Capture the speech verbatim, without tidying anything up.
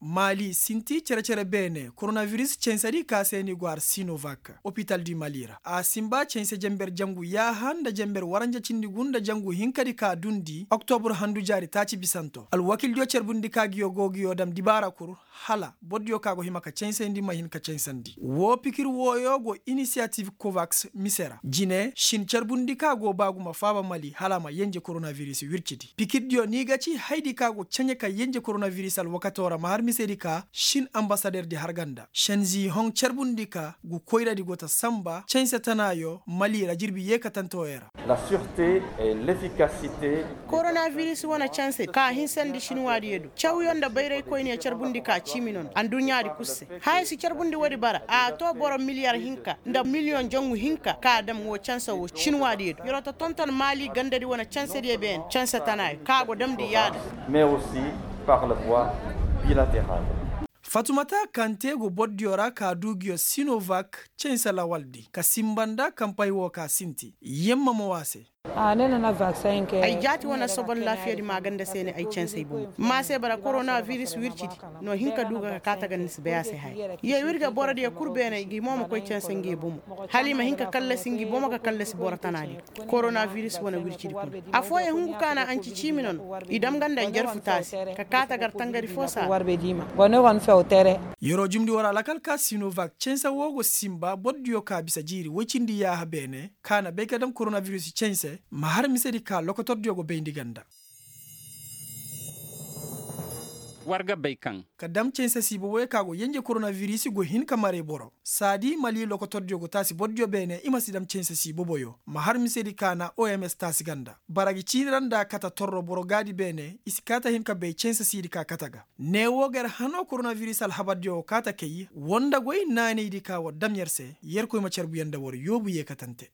Mali sinti cere-cere beene koronabiris censedi ka se ni go har sinovak opital di mali ra a sinba cense jenber jangu yaaha nda jenber waranja cindi gu nda jangu hinkadi ka dundi oktobur handu jaari taaci bisanto alwakildiyo carbundi ka ngiyo go ngiyo dam dibaara kul hala bordiyo ka go hima ka censandi ma hin ka censandi woo pikir wooyo go inisiyatif kovaks mise ra jine shin carbundi ka go ba gu ma faaba mali hala a ma yenje koronabiris wircidi pikirdiyo ni ga ci hayadi ka go canje ka yenje koronabiris alwakato ra ma har misedi ka shin ambasaderdi har ga nda shenzi hon carbundi ka gu koyradi go ta sanba cense tanaayo mali ra jirbi yeekatante woyey ra. Koronabiris wane canse ka hinsandi shinwaadiyo do cawyo nda bayraykoyniyo carbundi ka ciimi no nda adduɲɲaadi kul se haya si carbundi woodi bara a too boro miliyar hinka nda miliyoŋ jangu hinka ka dam woo canse woo shinwaadiyo do yeroo ta tonton maali gandadi wane cansediyo beene canse tanaayo ka go damndi yaada. Fatumata kante go bordiyo ra ka duu ngiyo sinovak canse lawaldi ka sinba nda kampay woo ka sinti yemma mo woo a se. Ay jaati wane sobon laafiyadi maaganda se ne ay canse ay bomo mma se bara koronabiris wircidi no hin ka duu ga ka kaa taga ni si bay a se haya. Ye w'ir ga borodiyo kul beene ngi mo ma koy canse ngi bomo hala i ma hin ka kallasi ngi bomo ka kallasi boro tanaadiyo. Koronabiris wane wircidi kuna afooyaŋ hungu ka na anci ciimi no no i dam ga nda njarfu taasi ka kaa tagar tangari foo saa. Yeroo jumndi war alakal ka sinovak canse woo go sinba bordiyo ka bisa jiiri woy cindi yaaha beene ka na bay ka dam koronabiris canse ma har misedi ka lokotordiyo go bayndi ga nda. War ga bay kaŋ ka dam canse siiboboyo ka go yenje koronabiris go hin ka maray boro saadi mali lokotordiyo go taasi bordiyo beene i ma si dam canse siiboboyo ma har misedi ka na oms taasi ga nda bara gi ciini ra nda kata torro boro gaadi beene i si kaa ta hin ka bay canse siidi ka kata ga. Ne woo ga yer hanoo koronabiris alhabardiyo go kaa ta kay war nda goy naanaydi ka war dam yer se yerkoy ma carbu yer nda war yoobu yeekatante.